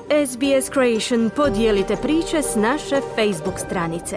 SBS Creation, podijelite priče s naše Facebook stranice.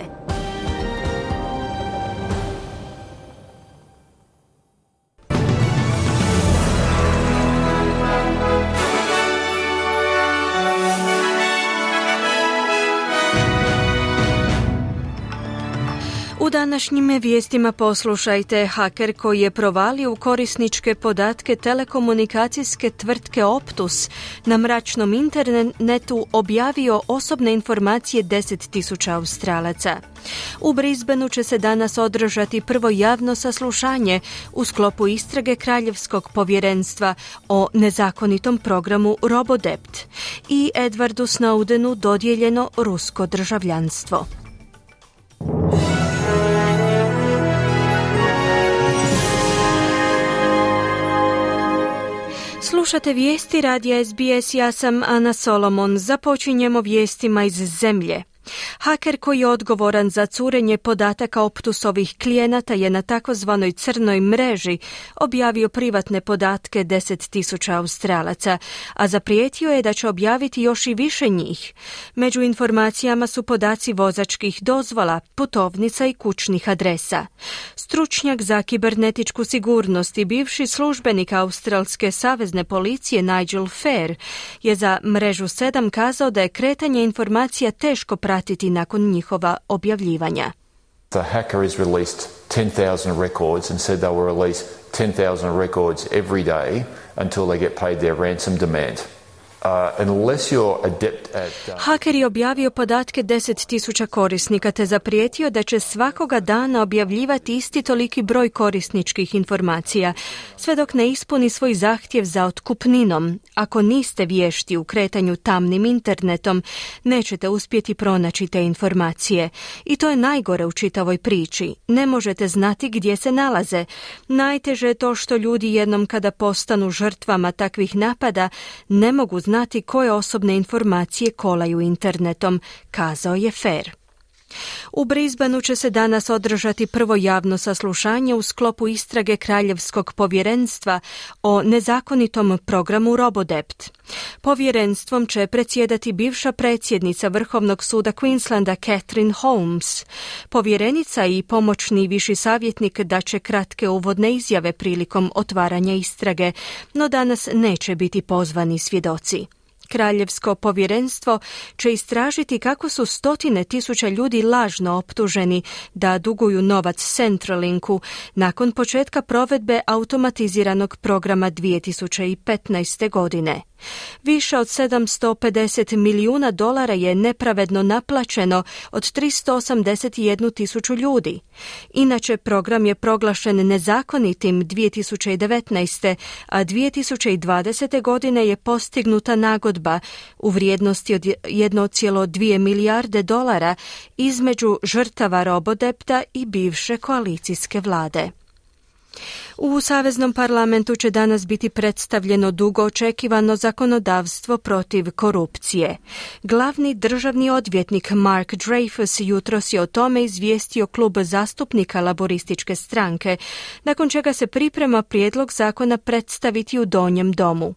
U današnjim vijestima poslušajte: haker koji je provalio u korisničke podatke telekomunikacijske tvrtke Optus na mračnom internetu objavio osobne informacije 10.000 Australaca. U Brisbaneu će se danas održati prvo javno saslušanje u sklopu istrage Kraljevskog povjerenstva o nezakonitom programu Robodebt i Edwardu Snowdenu dodijeljeno rusko državljanstvo. Slušate vijesti radija SBS, ja sam Ana Solomon. Započinjemo vijestima iz zemlje. Haker koji je odgovoran za curenje podataka Optusovih klijenata je na takozvanoj crnoj mreži objavio privatne podatke 10.000 Australaca, a zaprijetio je da će objaviti još i više njih. Među informacijama su podaci vozačkih dozvola, putovnica i kućnih adresa. Stručnjak za kibernetičku sigurnost i bivši službenik Australske savezne policije Nigel Fair je za mrežu 7 kazao da je kretanje informacija teško pratiti nakon njihova objavljivanja. The hacker has released 10,000 records and said they will release 10,000 records every day until they get paid their ransom demand. Unless you're adept at... Haker je objavio podatke 10.000 korisnika te zaprijetio da će svakoga dana objavljivati isti toliki broj korisničkih informacija, sve dok ne ispuni svoj zahtjev za otkupninom. Ako niste vješti u kretanju tamnim internetom, nećete uspjeti pronaći te informacije. I to je najgore u čitavoj priči. Ne možete znati gdje se nalaze. Najteže je to što ljudi jednom kada postanu žrtvama takvih napada, ne mogu znati koje osobne informacije kolaju internetom, kazao je Fair. U Brisbaneu će se danas održati prvo javno saslušanje u sklopu istrage Kraljevskog povjerenstva o nezakonitom programu Robodebt. Povjerenstvom će predsjedati bivša predsjednica Vrhovnog suda Queenslanda Catherine Holmes. Povjerenica i pomoćni viši savjetnik daće kratke uvodne izjave prilikom otvaranja istrage, no danas neće biti pozvani svjedoci. Kraljevsko povjerenstvo će istražiti kako su 100.000 ljudi lažno optuženi da duguju novac Centrelinku nakon početka provedbe automatiziranog programa 2015. godine. Više od $750 milijuna je nepravedno naplaćeno od 381.000 ljudi. Inače, program je proglašen nezakonitim 2019. a 2020. godine je postignuta nagodba u vrijednosti od $1,2 milijarde između žrtava Robodebta i bivše koalicijske vlade. U Saveznom parlamentu će danas biti predstavljeno dugo očekivano zakonodavstvo protiv korupcije. Glavni državni odvjetnik Mark Dreyfus jutros je o tome izvijestio klub zastupnika Laborističke stranke, nakon čega se priprema prijedlog zakona predstaviti u Donjem domu.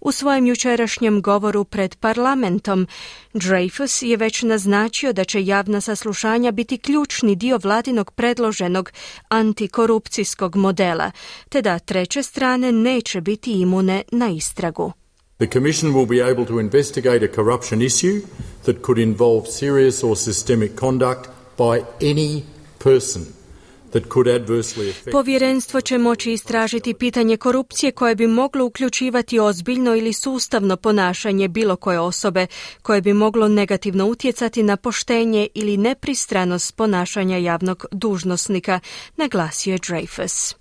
U svojem jučerašnjem govoru pred parlamentom, Dreyfus je već naznačio da će javna saslušanja biti ključni dio vladinog predloženog antikorupcijskog modela, te da treće strane neće biti imune na istragu. The Commission will be able to investigate a corruption issue that could involve serious or systemic conduct by any person. Povjerenstvo će moći istražiti pitanje korupcije koje bi moglo uključivati ozbiljno ili sustavno ponašanje bilo koje osobe, koje bi moglo negativno utjecati na poštenje ili nepristranost ponašanja javnog dužnosnika, naglasio je Dreyfus.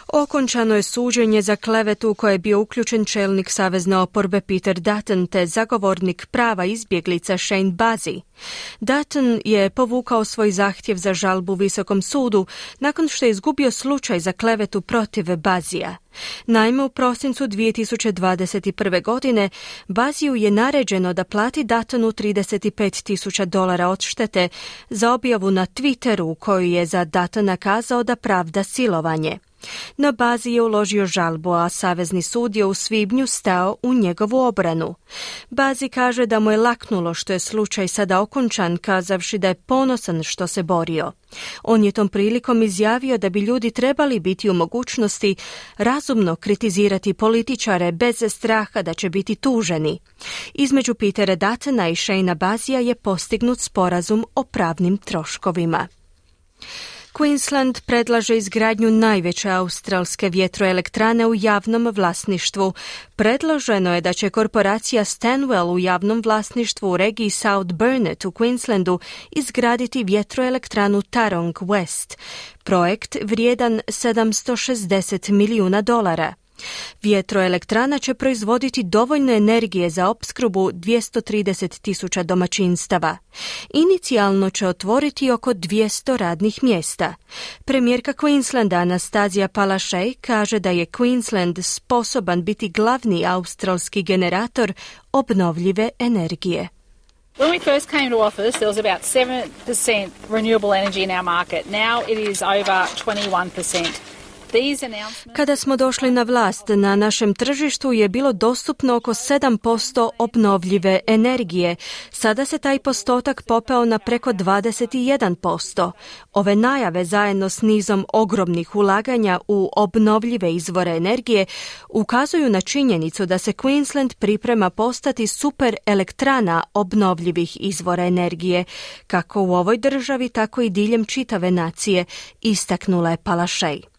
Okončano je suđenje za klevetu u koje je bio uključen čelnik savezne oporbe Peter Dutton te zagovornik prava izbjeglica Shane Bazzi. Dutton je povukao svoj zahtjev za žalbu Visokom sudu nakon što je izgubio slučaj za klevetu protiv Bazzija. Naime, u prosincu 2021. godine Bazziju je naređeno da plati Duttonu $35.000 odštete za objavu na Twitteru u kojoj je za Duttona kazao da pravda silovanje. No Bazi je uložio žalbu, a Savezni sud je u svibnju stao u njegovu obranu. Bazi kaže da mu je laknulo što je slučaj sada okončan, kazavši da je ponosan što se borio. On je tom prilikom izjavio da bi ljudi trebali biti u mogućnosti razumno kritizirati političare bez straha da će biti tuženi. Između Petera Duttona i Shayna Bazija je postignut sporazum o pravnim troškovima. Queensland predlaže izgradnju najveće australske vjetroelektrane u javnom vlasništvu. Predloženo je da će korporacija Stanwell u javnom vlasništvu u regiji South Burnett u Queenslandu izgraditi vjetroelektranu Tarong West. Projekt vrijedan $760 milijuna. Vjetroelektrana će proizvoditi dovoljno energije za opskrbu 230,000 domaćinstava. Inicijalno će otvoriti oko 200 radnih mjesta. Premijerka Queenslanda Anastazija Palaszczuk kaže da je Queensland sposoban biti glavni australski generator obnovljive energije. When we first came to office, there was about 7% renewable energy in our market. Now it is over 21%. Kada smo došli na vlast, na našem tržištu je bilo dostupno oko 7% obnovljive energije. Sada se taj postotak popeo na preko 21%. Ove najave zajedno s nizom ogromnih ulaganja u obnovljive izvore energije ukazuju na činjenicu da se Queensland priprema postati super elektrana obnovljivih izvora energije, kako u ovoj državi, tako i diljem čitave nacije, istaknula je Palaszczuk.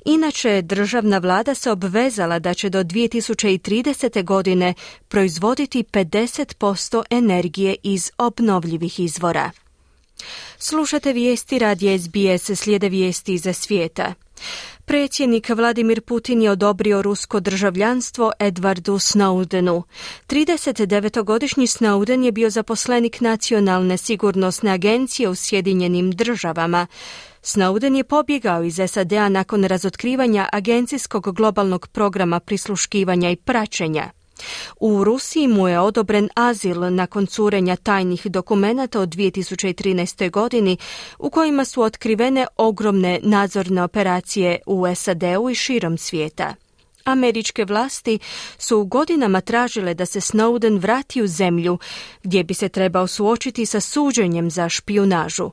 Inače, državna vlada se obvezala da će do 2030. godine proizvoditi 50% energije iz obnovljivih izvora. Slušate vijesti radija SBS, slijede vijesti iza svijeta. Predsjednik Vladimir Putin je odobrio rusko državljanstvo Edwardu Snowdenu. 39-godišnji Snowden je bio zaposlenik Nacionalne sigurnosne agencije u Sjedinjenim državama. Snowden je pobjegao iz SAD-a nakon razotkrivanja agencijskog globalnog programa prisluškivanja i praćenja. U Rusiji mu je odobren azil nakon curenja tajnih dokumenata od 2013. godini u kojima su otkrivene ogromne nadzorne operacije u SAD-u i širom svijeta. Američke vlasti su godinama tražile da se Snowden vrati u zemlju gdje bi se trebao suočiti sa suđenjem za špijunažu.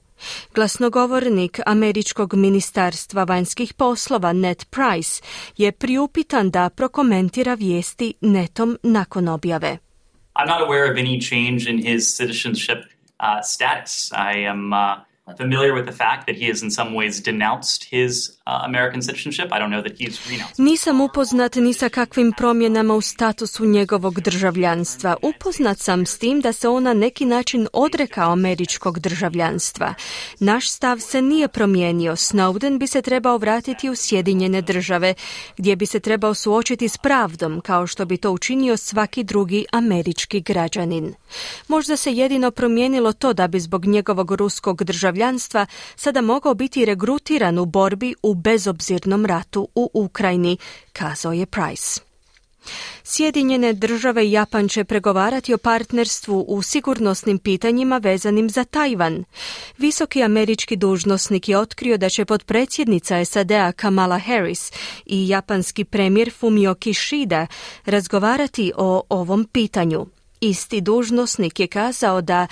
Glasnogovornik Američkog ministarstva vanjskih poslova Ned Price je priupitan da prokomentira vijesti netom nakon objave. I'm not aware of any change in his citizenship status. I am familiar with the fact that he has in some ways denounced his American citizenship. I don't know that he's renounced. Nisam upoznat ni sa kakvim promjenama u statusu njegovog državljanstva. Upoznat sam s tim da se on na neki način odrekao američkog državljanstva. Naš stav se nije promijenio. Snowden bi se trebao vratiti u Sjedinjene države, gdje bi se trebao suočiti s pravdom, kao što bi to učinio svaki drugi američki građanin. Možda se jedino promijenilo to da bi zbog njegovog ruskog državljanstva sada mogao biti regrutiran u borbi u bezobzirnom ratu u Ukrajini, kazao je Price. Sjedinjene države i Japan će pregovarati o partnerstvu u sigurnosnim pitanjima vezanim za Tajvan. Visoki američki dužnosnik je otkrio da će potpredsjednica SAD-a Kamala Harris i japanski premijer Fumio Kishida razgovarati o ovom pitanju. Isti dužnosnik je kazao da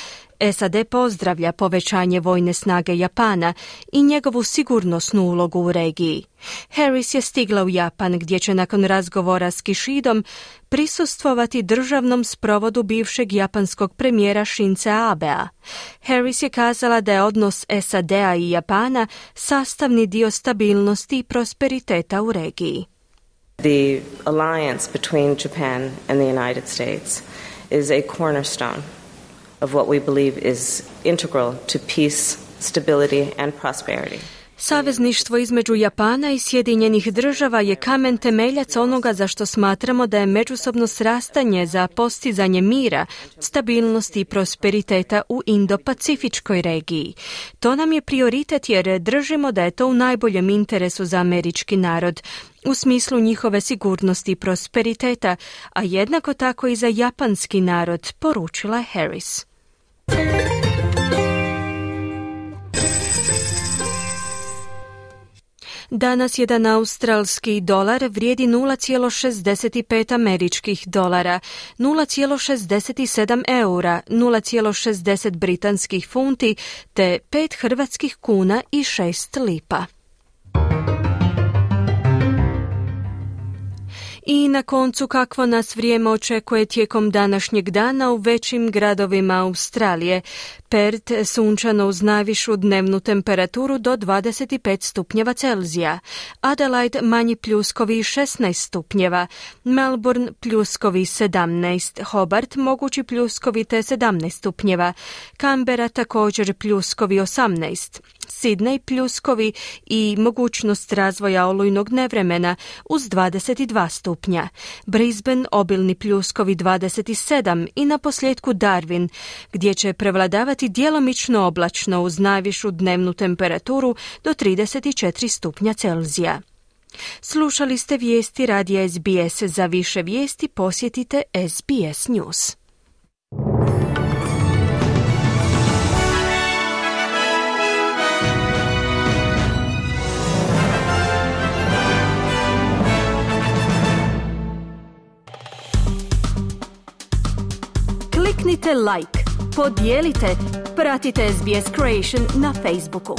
SAD pozdravlja povećanje vojne snage Japana i njegovu sigurnosnu ulogu u regiji. Harris je stigla u Japan gdje će nakon razgovora s Kishidom prisustvovati državnom sprovodu bivšeg japanskog premijera Shinze Abea. Harris je kazala da je odnos SAD-a i Japana sastavni dio stabilnosti i prosperiteta u regiji. The alliance between Japan and the United States is a cornerstone of what we believe is integral to peace, stability and prosperity. Savezništvo između Japana i Sjedinjenih država je kamen temeljac onoga za što smatramo da je međusobno srastanje za postizanje mira, stabilnosti i prosperiteta u Indo-Pacifičkoj regiji. To nam je prioritet jer držimo da je to u najboljem interesu za američki narod, u smislu njihove sigurnosti i prosperiteta, a jednako tako i za japanski narod, poručila je Harris. Danas jedan australski dolar vrijedi 0,65 američkih dolara, 0,67 eura, 0,60 britanskih funti te 5 hrvatskih kuna i 6 lipa. I na koncu kakvo nas vrijeme očekuje tijekom današnjeg dana u većim gradovima Australije. Perth sunčano uz najvišu dnevnu temperaturu do 25 stupnjeva Celzija. Adelaide manji pljuskovi 16 stupnjeva. Melbourne pljuskovi 17. Hobart mogući pljuskovi te 17 stupnjeva. Canberra također pljuskovi 18. Sydney pljuskovi i mogućnost razvoja olujnog nevremena uz 22 stupnja. Brisbane obilni pljuskovi 27 i na posljedku Darwin, gdje će prevladavati djelomično oblačno uz najvišu dnevnu temperaturu do 34 stupnja Celzija. Slušali ste vijesti radija SBS. Za više vijesti posjetite SBS News. Kliknite like, podijelite, pratite SBS Creation na Facebooku.